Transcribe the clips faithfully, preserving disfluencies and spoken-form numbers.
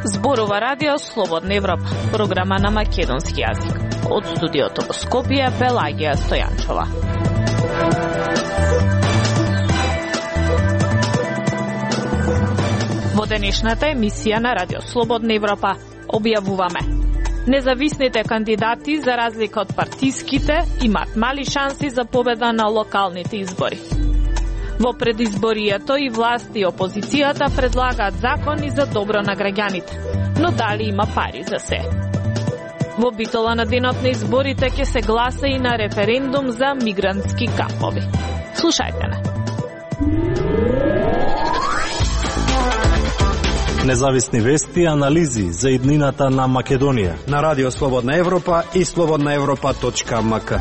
Зборува Радио Слободна Европа, програма на македонски јазик. Од студиото во Скопје, Пелагија Стојанчова. Во денешната емисија на Радио Слободна Европа објавуваме: независните кандидати, за разлика од партиските, имаат мали шанси за победа на локалните избори. Во предизборието и власти и опозицијата предлагаат закони за добро на граѓаните, но дали има пари за се? Во битола на денот на изборите ќе се гласа и на референдум за мигрантски кампови. Слушајте не. Независни вести и анализи за иднината на Македонија на Радио Слободна Европа и слободна европа точка ем ка.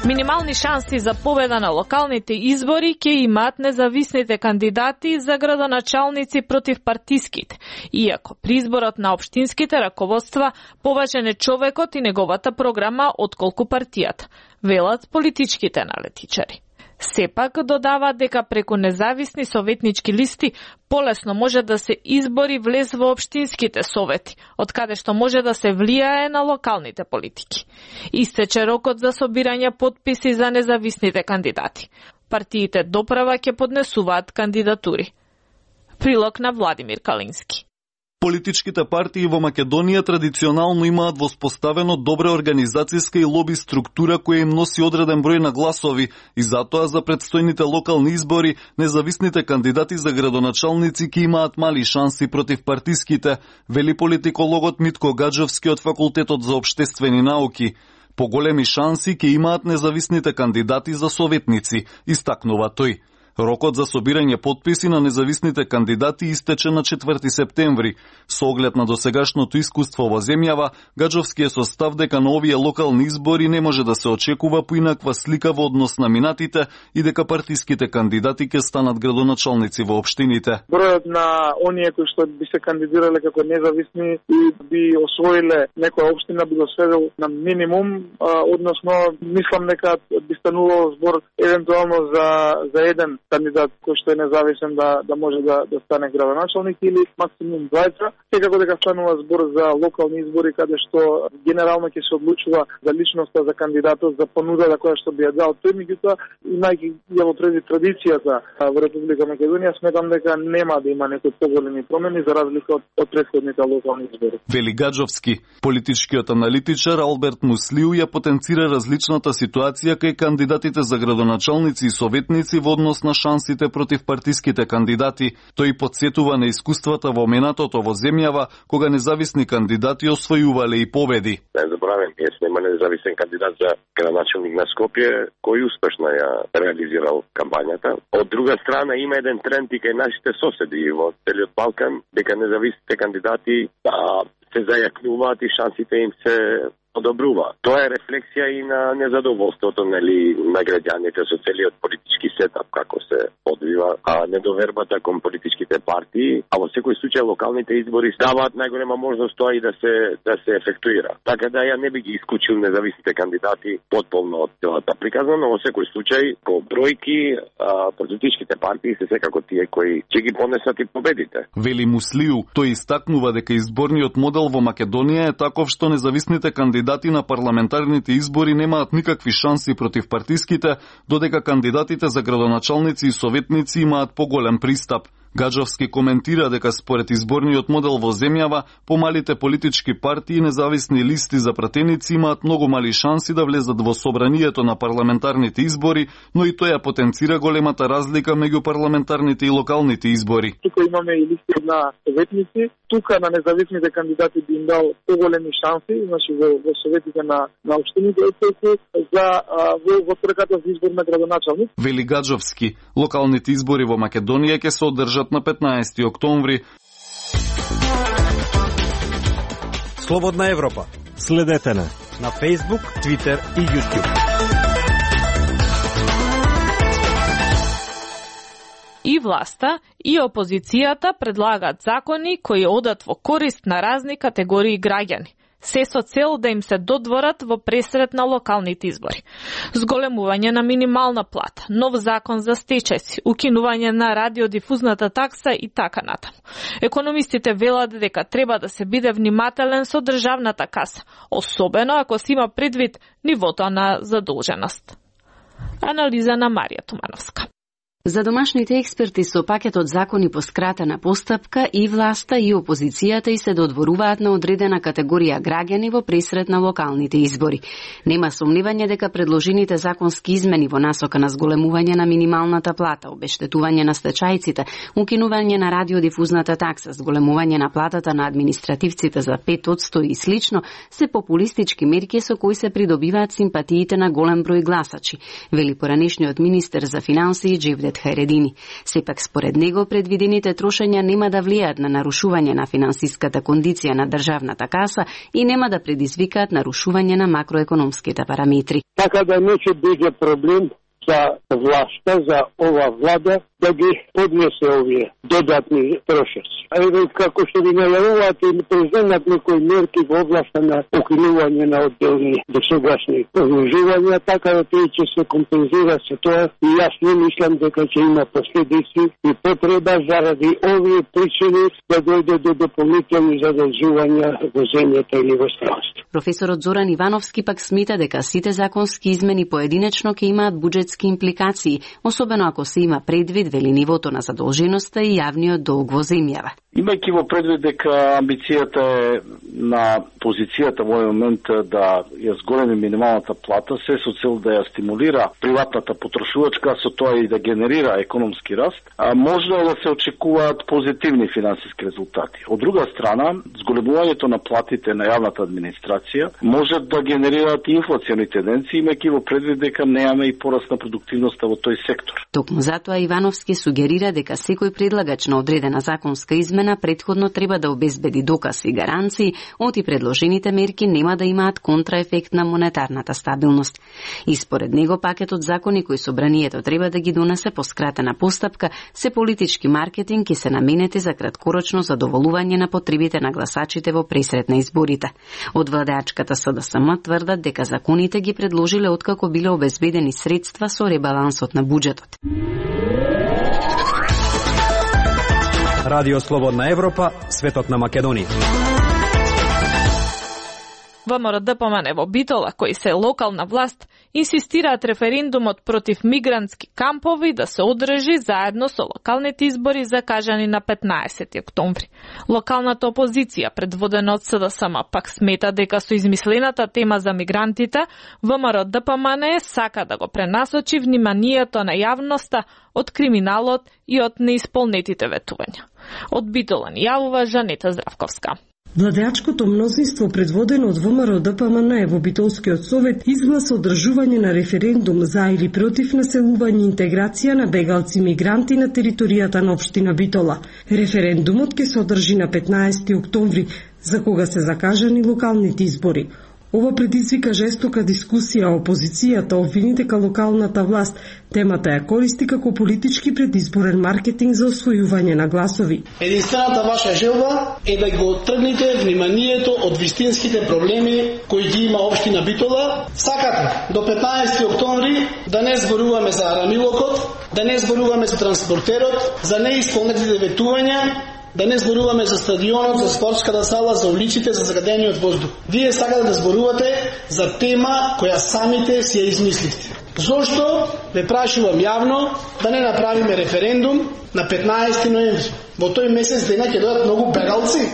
Минимални шанси за победа на локалните избори ќе имаат независните кандидати за градоначалници против партиските, иако при изборот на општинските раководства поважен е човекот и неговата програма отколку партијата, велат политичките аналитичари. Сепак додава дека преку независни советнички листи полесно може да се избори влез во општинските совети, од каде што може да се влијае на локалните политики. Истече рокот за собирање потписи за независните кандидати. Партиите доправа ќе поднесуваат кандидатури. Прилог на Владимир Калински. Политичките партии во Македонија традиционално имаат воспоставено добра организацијска и лоби структура која им носи одреден број на гласови и затоа за предстојните локални избори независните кандидати за градоначалници ќе имаат мали шанси против партиските, вели политикологот Митко Гаджовски од Факултетот за општествени науки. Поголеми шанси ќе имаат независните кандидати за советници, истакнува тој. Рокот за собирање потписи на независните кандидати истече на четврти септември. Со оглед на досегашното искуство во земјава, Гаджовски е со став дека на овие локални избори не може да се очекува поинаква слика во однос на минатите и дека партиските кандидати ќе станат градоначалници во општините. Бројот на оние кои што би се кандидирале како независни и би освоиле некоја општина би го сведел на минимум, а, односно мислам дека би станувало збор евентуално за за еден кандидат кој што е независен да да може да да стане градоначалник или максимум двајца. Секако дека станува збор за локални избори каде што генерално ќе се одлучува за личноста за кандидатот, за понудата која што би ја дал тој, меѓутоа имајќи ја во преди традицијата во Република Македонија, сметам дека нема да има некои поголеми промени за разлика од, од претходните локални избори. Вели Гаджовски. Политичкиот аналитичар Алберт Муслиу ја потенцира различната ситуација кај кандидатите за градоначалници и советници во однос на шансите против партиските кандидати. Тој подсетува на искуствата во минатото во земјава, кога независни кандидати освојувале и победи. Не забравям, ние сме независен кандидат за градоначалник на Скопје, кој успешно ја реализирал кампањата. Од друга страна има еден тренд и кај нашите соседи во целиот Балкан, дека независните кандидати да се зајакнуваат и шансите им се одобрува. Тоа е рефлексија и на незадоволството, нели, на граѓаните со целиот политички сетап како се одвива, а недовербата кон политичките партии, а во секој случај локалните избори даваат најголема можност тоа и да се да се ефектуира. Така да ја не би ги исклучил независните кандидати потполно од целата приказна, но во секој случај по бројки а, политичките партии се секако тие кои ќе ги понесат и победите. Вели Муслиу, тој истакнува дека изборниот модел во Македонија е таков што независните кандидати на парламентарните избори немаат никакви шанси против партиските, додека кандидатите за градоначалници и советници имаат поголем пристап. Гаджовски коментира дека според изборниот модел во земјава, помалите политички партии и независни листи за пратеници имаат многу мали шанси да влезат во собранието на парламентарните избори, но и тоа потенцира големата разлика меѓу парламентарните и локалните избори. Тука имаме и листи на советници, тука на независните кандидати би им дал поголеми шанси, значи во, во советите на на општините за во, во трката за избор на градоначалник. Вели Гаджовски, локалните избори во Македонија ќе се одржат на петнаесети октомври. Слободна Европа. Следете на на Facebook, Twitter и YouTube. И власта, и опозицијата предлагаат закони кои одат во корист на разни категории граѓани. се со цел да им се додворат во пресрет на локалните избори. Зголемување на минимална плата, нов закон за стечајци, укинување на радиодифузната такса и така натаму. Економистите велат дека треба да се биде внимателен со државната каса, особено ако се има предвид нивото на задолженост. Анализа на Марија Тумановска. За домашните експерти со пакетот закони по скратена постапка и власта и опозицијата и се додворуваат на одредена категорија граѓани во пресрет на локалните избори. Нема сомневање дека предложените законски измени во насока на зголемување на минималната плата, обештетување на стечајците, укинување на радиодифузната такса, зголемување на платата на административците за пет одсто и слично, се популистички мерки со кои се придобиваат симпатиите на голем број гласачи, вели поранешниот министер за финансии Джевдет Хајредини. Сепак според него предвидените трошења нема да влијаат на нарушување на финансиската кондиција на државната каса и нема да предизвикаат нарушување на макроекономските параметри. Така да не ќе биде проблем за власта, за ова влада да ги поднесе овие додатни трошоци. А еве како што ви најавуваат и преземат некои мерки во областа на укинување на одделни досегашни положувања, така да тој ќе се компензира се тоа и јас не мислам дека ќе има последици и потреба заради овие причини да дојде до дополнителни задолжувања во земјата или во странство. Професорот Зоран Ивановски пак смета дека сите законски измени поединечно ќе имаат буџетски импликации, особено ако се има предвид вели нивото на задолженоста и јавниот долг во земјава. Имајќи во предвид дека амбицијата е на позицијата во овој момент да ја зголеми минималната плата, се со цел да ја стимулира приватната потрошувачка, со тоа и да генерира економски раст, а може да се очекуваат позитивни финансиски резултати. Од друга страна, зголемувањето на платите на јавната администрација може да генерираат инфлациони тенденции, имајќи во предвид дека немаме и пораст на продуктивноста во тој сектор. Токму затоа Ивановски сугерира дека секој предлагач на одредена законска измена претходно треба да обезбеди доказ и гаранции, оти предложените мерки нема да имаат контраефект на монетарната стабилност. И според него пакетот закони кои собранието треба да ги донесе по скратена постапка се политички маркетинг и се наменети за краткорочно задоволување на потребите на гласачите во пресрет на изборите. Од владеачката СДСМ тврдат дека законите ги предложиле откако биле обезбедени средства со ребалансот на буџетот. Радио Слободна Европа, светот на Македонија. ВМРО Д П М Н во Битола, кои се локална власт, инсистираат референдумот против мигрантски кампови да се одржи заедно со локалните избори закажани на петнаесети октомври. Локалната опозиција, предводена од СДСМ, пак смета дека со измислената тема за мигрантите, ВМРО Д П М Н сака да го пренасочи вниманието на јавноста од криминалот и од неисполнетите ветувања. Од Битола ни јавува Жанета Здравковска. Владеачкото мнозинство, предводено од ВМРО Д П М Н во Битолскиот совет, изгласа одржување на референдум за или против населување и интеграција на бегалци мигранти на територијата на општина Битола. Референдумот ќе се одржи на петнаесети октомври, за кога се закажани локалните избори. Ова предизвика жестока дискусија, а опозицијата обвини дека локалната власт темата ја користи како политички предизборен маркетинг за освојување на гласови. Единствената ваша желба е да го тргнете вниманието од вистинските проблеми кои ги има општина Битола. Сакате до петнаесети октомври да не зборуваме за арамилокот, да не зборуваме за транспортерот, за неисполнетите ветувања, да не зборуваме за стадионот, за спортската сала, за улиците, за загадениот воздух. Вие сакате да зборувате за тема која самите си ја измислите. Зошто ве прашувам јавно да не направиме референдум на петнаесети ноември? Во тој месец дена ќе дојдат многу бегалци,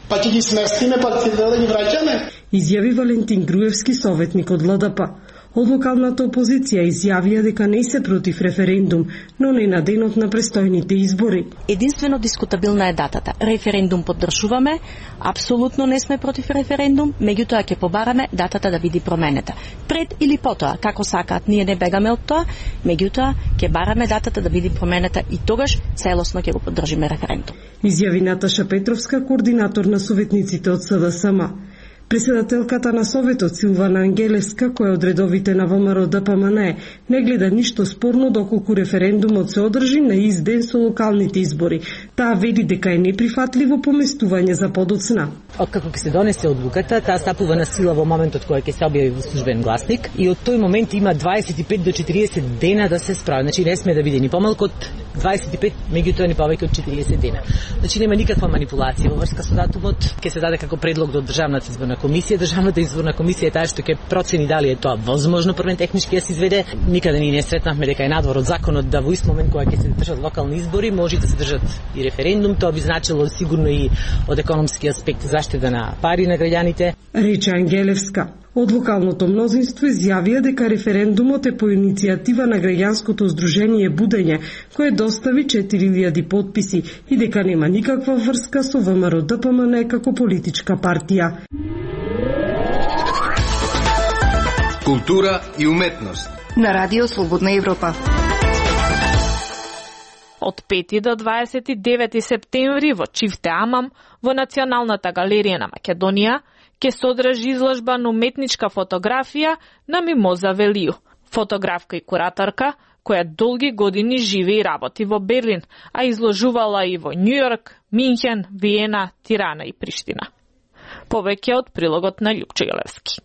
па ќе ги сместиме, па ќе да ги враќаме. Изјави Валентин Груевски, советник од Л Д П. Од локалната опозиција изјавија дека не се против референдум, но не на денот на престојните избори. Единствено дискутабилна е датата. Референдум поддржуваме, апсолутно не сме против референдум, меѓутоа ќе побараме датата да биде променета. Пред или потоа, како сакаат, ние не бегаме од тоа, меѓутоа ќе бараме датата да биде променета и тогаш целосно ќе го поддржиме референдум. Изјави Наташа Петровска, координатор на советниците од СДСМ. Председателката на Советот Силвана Ангелевска, која од редовите на ВМРО Д П М Н Е, не гледа ништо спорно доколку референдумот се одржи на ист ден со локалните избори. Таа вели дека е неприфатливо поместување за подоцна. Откако ќе се донесе одлуката, таа стапува на сила во моментот кога ќе се објави во службен гласник и од тој момент има дваесет и пет до четириесет дена да се справи. Значи не сме да биде ни помалку од дваесет и пет, меѓутоа ни повеќе од четириесет дена. Значи нема никаква манипулација во врска со датумот. Ќе се даде како предлог до Државната изборна комисија. Државната изборна комисија е таа што ќе процени дали е тоа возможно првен технички да се изведе. Никаде ни не сретнавме дека е надвор од законот да во ист момент кога ќе се држат локални избори може да се држат и референдум. Тоа би значило сигурно и од економски аспект заштеда на пари на граѓаните. Рече Ангелевска. Од локалното мнозинство изјавија дека референдумот е по иницијатива на граѓанското здружение Будење, кое достави четири илјади потписи и дека нема никаква врска со ВМРО Д П М Н Е како политичка партија. Култура и уметност на Радио Слободна Европа. Од пети до дваесет и девети септември во Чифте Амам, во Националната галерија на Македонија, ќе се одржи изложба на уметничка фотографија на Мимоза Велију, фотографка и кураторка, која долги години живе и работи во Берлин, а изложувала и во Њујорк, Минхен, Виена, Тирана и Приштина. Повеќе од прилогот на Љупчо Јелевски.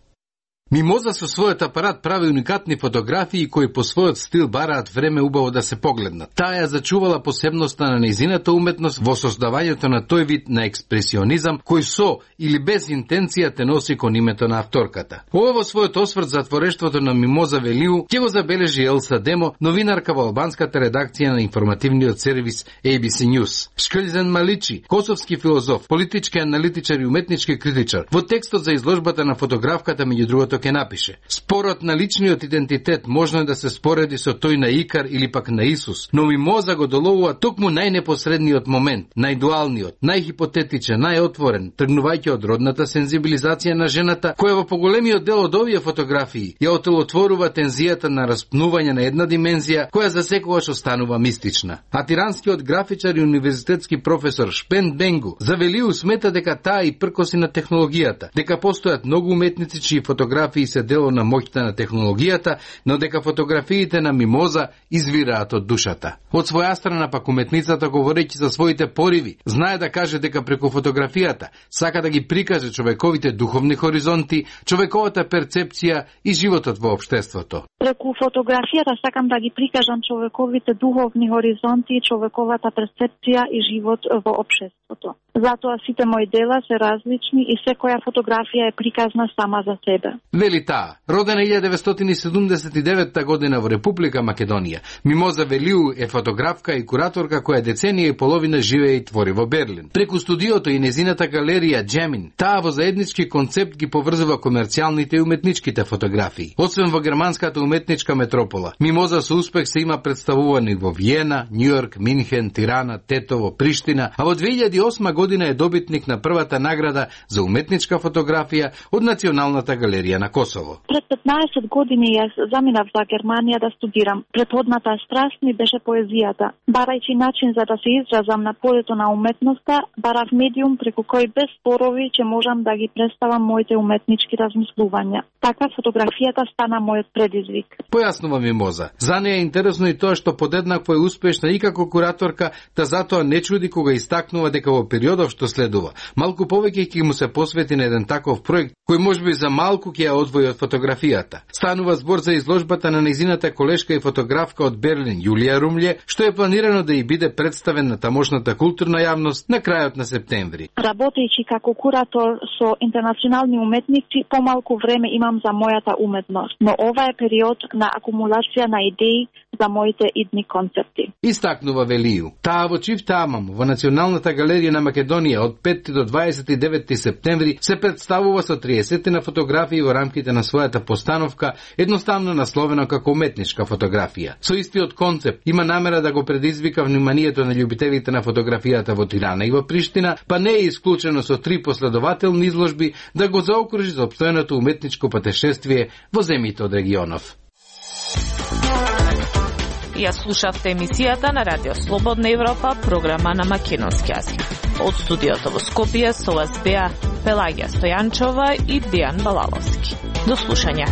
Мимоза со својот апарат прави уникатни фотографии кои по својот стил бараат време убаво да се погледнат. Таа ја зачувала посебноста на нејзината уметност во создавањето на тој вид на експресионизам кој со или без интенција те носи кон името на авторката. Ова во својот осврт за творештвото на Мимоза Велију ќе го забележи Елса Демо, новинарка во албанската редакција на информативниот сервис А Б С News. Шкрлзен Маличи, косовски филозоф, политички аналитичар и уметнички критичар, во текстот за изложбата на фотографката меѓу другото ќе напише: спорот на личниот идентитет можно е да се спореди со тој на Икар или пак на Исус, но Мимоза го доловува токму најнепосредниот момент, најдуалниот, најхипотетичен, најотворен, тргнувајќи од родната сензибилизација на жената, која во поголемиот дел од овие фотографии ја отелотворува тензијата на распнување на една димензија која за секогаш останува мистична. А тиранскиот графичар и универзитетски професор Шпен Бенгу за Велију смета дека таа и пркоси на технологијата, дека постојат многу уметници чии фотографии се дело на моќта на технологијата, но дека фотографиите на Мимоза извираат од душата. Од своја страна пак уметницата, говорејќи за своите пориви, знае да каже дека преку фотографијата сака да ги прикаже човековите духовни хоризонти, човековата перцепција и животот во општеството. Преку фотографијата сакам да ги прикажам човековите духовни хоризонти, човековата перцепција и живот во општеството. Затоа сите мои дела се различни и секоја фотографија е приказна сама за себе. Вели таа, родена илјадесетстотини деветстотини седумдесет и девета година во Република Македонија, Мимоза Велију е фотографка и кураторка која деценија и половина живее и твори во Берлин. Преку студиото и незината галерија Джемин, таа во заеднички концепт ги поврзува комерцијалните и уметничките фотографии. Освен во германската уметничка метропола, Мимоза со успех се има представувани во Виена, Њујорк, Минхен, Тирана, Тетово, Приштина, а во две илјади и осма година е добитник на првата награда за уметничка фотографија од Националната галерија на Косово. Пред петнаесет години јас заминав за Германија да студирам. Предходната страст ми беше поезијата. Барајќи начин за да се изразам на полето на уметноста, барав медиум преку кој без спорови ќе можам да ги представам моите уметнички размислувања. Така фотографијата стана мојот предизвик. Појаснува Мимоза. За неја е интересно и тоа што подеднакво е успешна и како кураторка, та затоа не чуди кога истакнува дека во периодов што следува, малку повеќе ќе му се посвети на еден таков проект кој можеби за малку ќе ја одвои од фотографијата. Станува збор за изложбата на нејзината колешка и фотографка од Берлин Јулија Румље, што е планирано да ја биде представен на тамошната културна јавност на крајот на септември. Работејќи како куратор со интернационални уметници, помалку време имам за мојата уметност, но ова е период на акумулација на идеи за моите идни концепти. Истакнува Велију. Таа во Чифте Амам, во Националната галерија на Македонија од пети до дваесет и девети септември се представува со триесет на фотографии во рамките на својата постановка, едноставно насловена како уметничка фотографија. Со истиот концепт има намера да го предизвика вниманието на љубителите на фотографијата во Тирана и во Приштина, па не е исклучено со три последователни изложби да го заокружи за опстојното уметничко патешествие во земјите од регионов. Ја слушавте емисијата на Радио Слободна Европа, програма на македонски јазик. Од студиото во Скопје со вас беа Пелагија Стојанчова и Дијан Балаловски. До слушање.